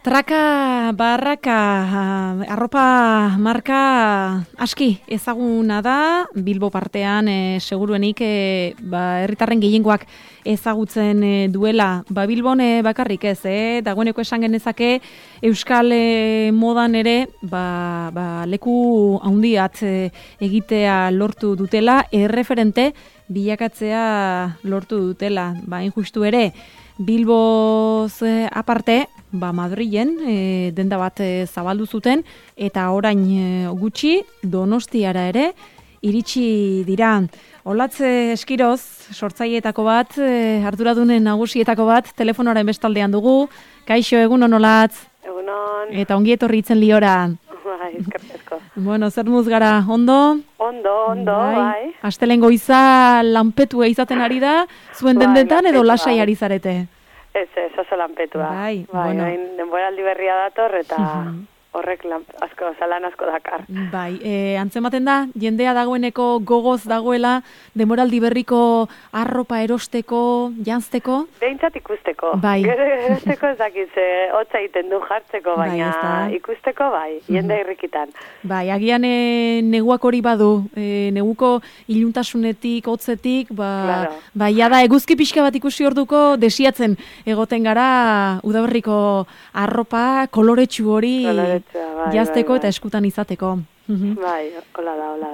Traka barraka, arropa marka aski ezaguna da, Bilbo partean seguruenik herritarren gehiengoak ezagutzen duela. Bilbon bakarrik ez, dagoeneko esan genezake euskal modan ere leku handiat egitea lortu dutela, erreferente bilakatzea lortu dutela. Injustu ere, Bilboz aparte, Madrilen denda bat zabaldu zuten eta orain gutxi Donostiara ere iritsi dira. Olatz Eskiroz, sortzaileetako bat, arduradunen nagusietako bat, telefonoaren bestaldean dugu. Kaixo, egunon Olatz. Egunon. Eta ongi etorri itzen liora. Eskerrik asko. Bueno, zer muz gara, ondo? Ondo, bai. Astelen goiza lanpetua izaten ari da, zuen dendetan edo lasai ari zarete? Ez, oso lanpetua. Bai, bueno. Denboraldi berria dator eta horrek lan asko dakar. Bai, antzematen da, jendea dagoeneko gogoz dagoela, denboraldi berriko arropa erosteko, janzteko? Behintzat ikusteko. Bai. Erosteko ez dakiz, hotza egiten du jartzeko, baina ikusteko bai, jende irrikitan. Bai, agian neguak hori badu, neguko iluntasunetik, hotzetik, jada eguzki pixka bat ikusi orduko desiatzen egoten gara udaberriko arropa koloretsu hori jazteko eta eskutan izateko. Bai, hola da.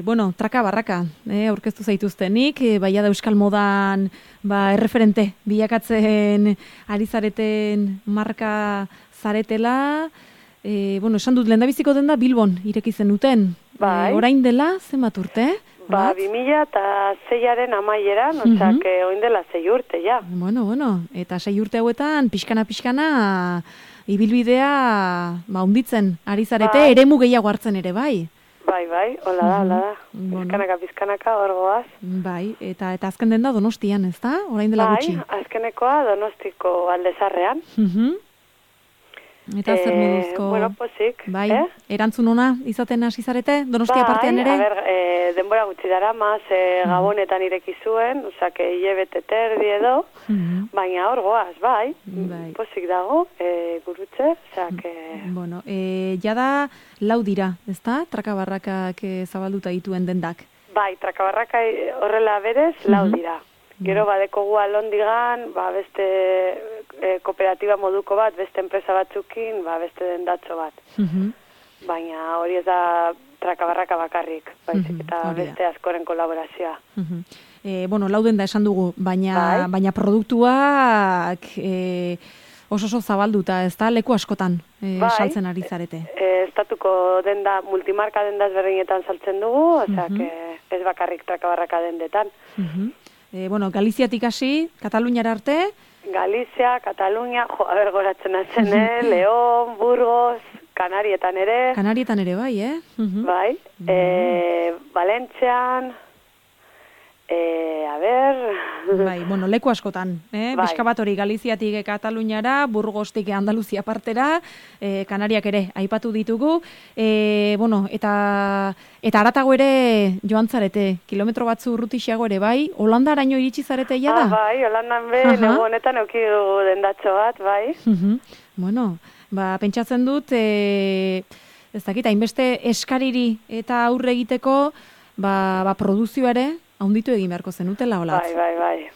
Bueno, traka barraka, aurkeztu zaituztenik, da euskal modan erreferente bilakatzen ari zareten marka zaretela. Esan dut, lehendabiziko denda Bilbon ireki zenuten. Bai. Orain dela, zenbat urte? 2006aren amaieran, oin dela 6 urte, ja. Bueno, eta 6 urte hauetan, pixkana, ibilbidea hunditzen ari zarete, eremu gehiago hartzen ere, bai? Bai, hola da. Pizkanaka, hor goaz. Bai, eta azken den da Donostian, ez da? Orain dela gutxi. Bai, azkenekoa Donostiko Aldezarrean. Eta zer moduzko... Bueno, posik. Bai, erantzun ona izaten hasi zarete, Donostia partean ere? Bai, denbora gutxi dara, Gabonetan ireki zuen, hilebete terdi edo, baina hor goaz, bai, posik dago, gurutze, Bueno, jada lau dira, ez da? Trakabarrakak zabalduta dituen dendak. Bai, trakabarraka horrela berez, lau dira. Gero badekogu alondigan, beste kooperatiba moduko bat, beste enpresa batzukin, beste dendatxo bat. Baina hori ez da trakabarraka bakarrik, baizik eta beste askoren kolaborazioa. Lau denda esan dugu, baina produktuak oso zabalduta, ez da, leku askotan saltzen ari zarete. Estatuko denda, multimarka denda ezberdinetan saltzen dugu, ez bakarrik trakabarraka dendetan. Galiziatik hasi, Kataluniara arte? Galizia, Katalunia, goratzen atzen, León, Burgos, Kanarietan ere. Kanarietan ere, bai, Bai, Valentzian, leku askotan, Bizka bat hori Galiziatik Kataluniara, Burgostik Andaluzia partera, Kanariak ere aipatu ditugu, eta haratago ere joan zarete, kilometro batzu urrutixeago ere, bai, Holandaraino iritsi zarete da? Bai, Holandan negu honetan eukidu dendatxo bat, bai. Bueno, pentsatzen dut, ez dakit, hainbeste eskariri eta aurre egiteko, produzioa ere, haunditu egin beharko zenutela, Olatz?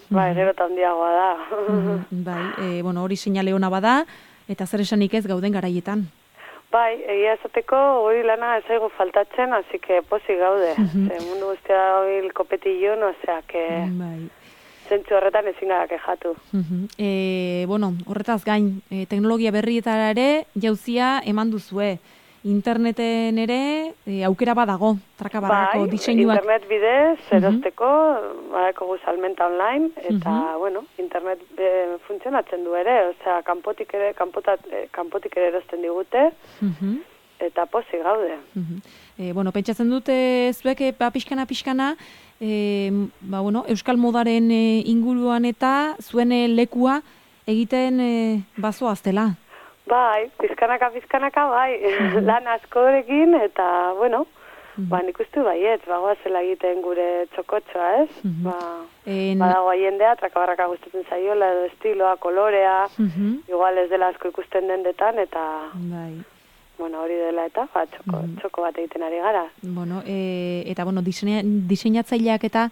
Bai, gero eta handiagoa da. Bai, hori seinale ona bada, eta zer esanik ez gauden garaietan. Bai, egia esateko hori lana ez zaigu faltatzen, hasi que pozik gaude. Mundu guztia hori kopetillon, zentzu horretan ezin gara kejatu. Horretaz gain, teknologia berrietara ere jauzia eman duzue. Interneten ere aukera badago, trakabarrako diseinuak. Internet bidez, erosteko, badako salmenta online, eta, internet funtzionatzen du ere, kanpotik ere erosten digute, eta pozik gaude. Pentsatzen dute zuek, pixkana, euskal modaren inguruan eta zuen lekua egiten bazoaztela. Bai, pizkanaka, bai, lan askorekin, eta, Ba, nik uste baiet, bagoazela egiten gure txokotxoa, ez? Badago jendea, trakabarraka gustatzen zaiola, edo estiloa, kolorea, igual ez dela asko ikusten dendetan, eta... Bueno, hori dela eta, txoko bat egiten ari gara. Bueno, eta, diseinatzaileak eta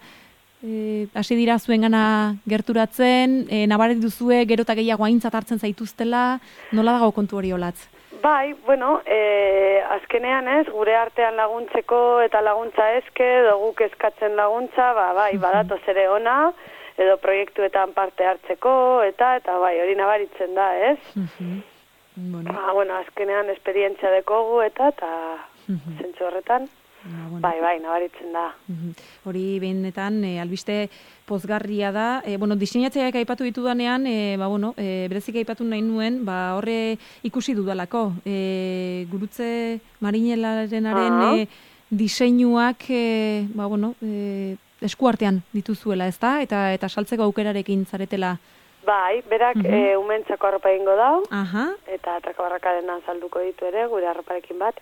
hasi dira zuengana gerturatzen, nabaret duzue, gero eta gehiago aintzat hartzen zaituztela, nola dago kontu hori olatz? Bai, azkenean ez, gure artean laguntzeko eta laguntza eske, guk eskatzen laguntza, badatoz ere ona, edo proiektuetan parte hartzeko, eta hori nabaritzen da, ez? Azkenean esperientzia dekogu eta zentzu horretan, nabaritzen da. Hori benetan, albiste pozgarria da. Diseinatzaileak aipatu ditudanean, berezik aipatu nahi nuen, horre ikusi dudalako. Gurutze Marinelarenaren diseinuak, eskuartean dituzuela, ezta? Eta saltzeko aukerarekin zaretela. Bai, berak umentzako arropa egingo dau, eta trakabarrakarenan salduko ditu ere, gure arroparekin bat.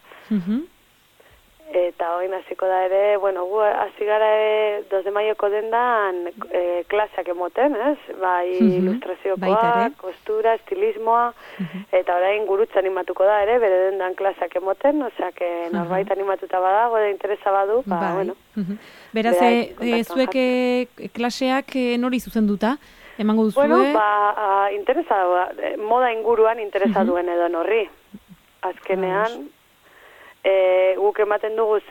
Eta hori naziko da ere, gu hasi gara 2 de maioko dendan klaseak emoten, ez? Bai, ilustraziokoa, kostura, estilismoa, eta orain gurutza animatuko da ere, bere dendan klaseak emoten, oseak norbait animatuta badago, edo interesa badu, Beraz, zuek klaseak nori zuzenduta? Emango duzue? Interesa, moda inguruan interesa duen edo norri. Azkenean, guk ematen duguz,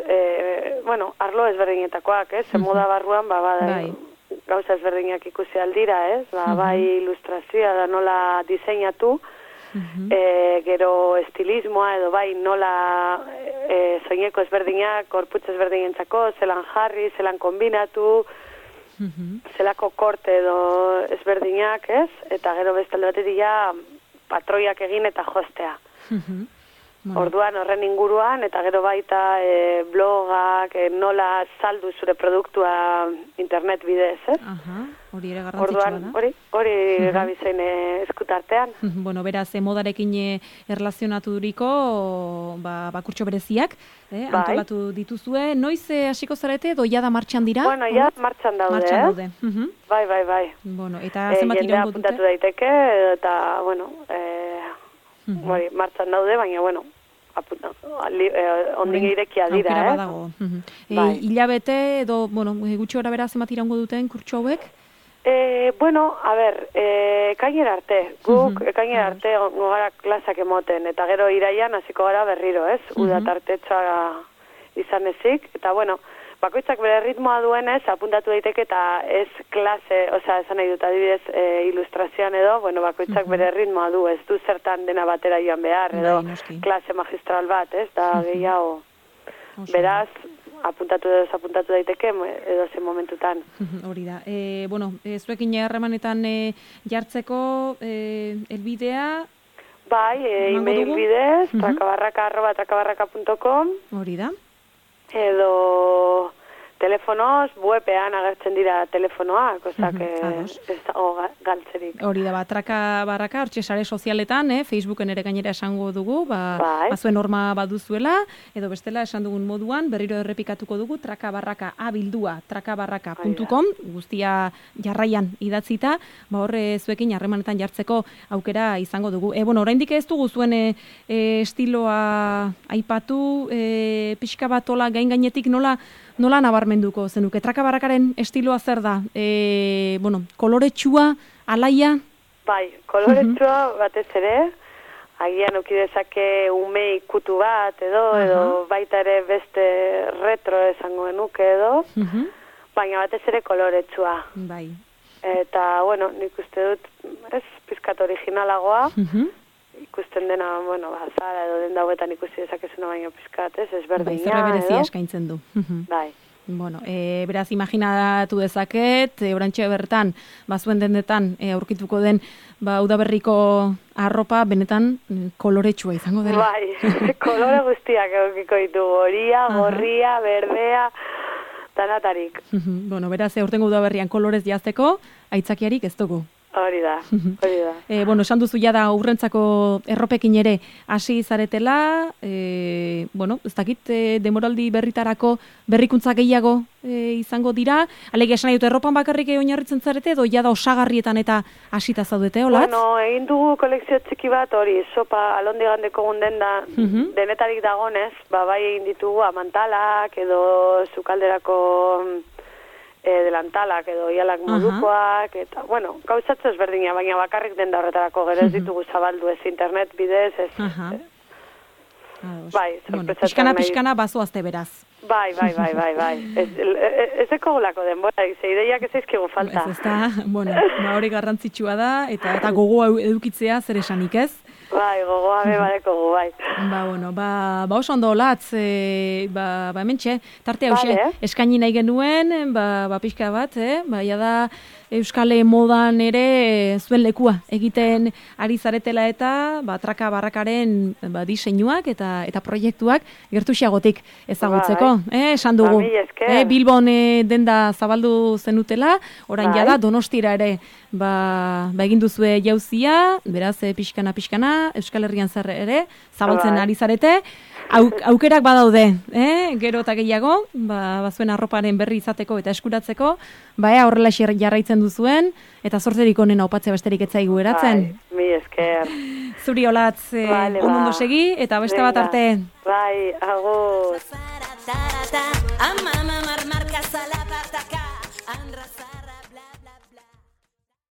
arlo ezberdinetakoak, ez? Moda barruan, gauza ezberdinak ikusi aldira, ez? Bai ilustrazioa da nola diseinatu, gero estilismoa edo bai nola soineko ezberdinak, korputz ezberdinentzako, zelan jarri, zelan kombinatu, zelako korte edo ezberdinak, ez? Eta gero bestalde batetik patroiak egin eta jostea. Orduan horren inguruan, eta gero baita blogak, nola saldu zure produktua internet bidez, ez? Hori ere garrantzitsua da. Orduan, hori gabizein eskutartean. Beraz, modarekin erlazionaturiko kurtso bereziak, antolatu dituzue. Noiz hasiko zarete, edo jada martxan dira? Martxan daude, Bai. Eta zenbat iraungo dute? Jendea apuntatu daiteke, eta, martxan daude, baina, ondin irekia dira, aukera badago. Hilabete, edo, gutxi gora bera zenbat iraungo duten kurtso hauek? Ekainera arte. Guk ekainera arte gara klasak emoten, eta gero iraian hasiko gara berriro, ez? Uda tartetxoa izan ezik, eta bakoitzak bere ritmoa duenez, apuntatu daiteke eta ez klase, esan nahi dut adibidez ilustrazioan edo, bakoitzak bere ritmoa du, ez du zertan dena batera joan behar, edo klase magistral bat, ez? Da gehiago. Beraz, apuntatu daiteke edo zen momentutan. Hori da. Zuekin harremanetan jartzeko elbidea? Bai, e-mail bidez, trakabarraka@trakabarraka.com. Hori da. Edo telefonoz, webean agertzen dira telefonoak, ozak ez dago galtzerik. Hori da, trakabarraka, hortxe sare sozialetan, Facebooken ere gainera esango dugu, zuen horma baduzuela, edo bestela esan dugun moduan, berriro errepikatuko dugu, trakabarraka abildua, trakabarraka.com, guztia jarraian idatzita, horre zuekin harremanetan jartzeko aukera izango dugu. Oraindik ez dugu zuen estiloa aipatu, pixka bat ola gainetik nola nabarmenduko zenuke? Trakabarrakaren estiloa zer da? Koloretsua, alaia? Bai, koloretsua batez ere, agian ukidezake ume ikutu bat edo baita ere beste retro esango genuke edo, baina batez ere koloretsua. Bai. Eta, nik uste dut, pizkat originalagoa, ikusten dena, zara edo den dauetan ikusi dezakezuna baino pizkat, ezberdina, edo. Zerra berezia eskaintzen du. Bai. Beraz, imaginatu dezaket, orantxe bertan, zuen dendetan, aurkituko den, udaberriko arropa, benetan, koloretsua izango dela. Bai, kolore guztiak aurkiko ditu, horia, gorria, berdea, tanatarik. Beraz, aurtengo udaberrian kolorez jazteko, aitzakiarik ez dugu. Hori da. Bueno, esan duzu jada urrentzako erropekin ere hasi zaretela, bueno, ez dakit, demoraldi berritarako berrikuntza gehiago izango dira, alegia esan nahi dut erropan bakarrik oinarritzen zarete, edo jada osagarrietan eta hasita zaudete, olatz? Bueno, egin dugu kolekzio txiki bat, hori, sopa alondigandeko gunden da, denetarik dagonez, bai egin ditugu amantalak, edo sukalderako delantalak edo ialak modukoak, eta, bueno, gauzatze ezberdina, baina bakarrik denda horretarako gero ez ditugu zabaldu ez internet bidez, ez... Bai, pixkana bazoazte beraz. Bai. Ez eko gulako denbora, ideiak ez eizkigu falta. Ez da, bueno, hori garrantzitsua da, eta gogoa edukitzea zer esanik ez? Bai, gogoa bebadeko gu, bai. Bueno, oso ondo latz, hementxe, tarte hause, eskaini nahi genuen, pixka bat, da Euskale modan ere zuen lekua egiten ari zaretela eta traka barrakaren diseinuak eta proiektuak gertuxiagotik ezagutzeko. Esan dugu, Bilbon denda zabaldu zenutela, orain jada Donostira ere egin duzue jauzia, beraz pixkana, Euskal Herrian zer ere zabaltzen ari zarete. Aukerak badaude, gero eta gehiago, bazuen arroparen berri izateko eta eskuratzeko, horrela jarraitzen duzuen, eta zorterik onena opatzea besterik etzaigu eratzen. Mi esker. Zuri olatz, ondo segi, eta beste bat arte. Bai, agur.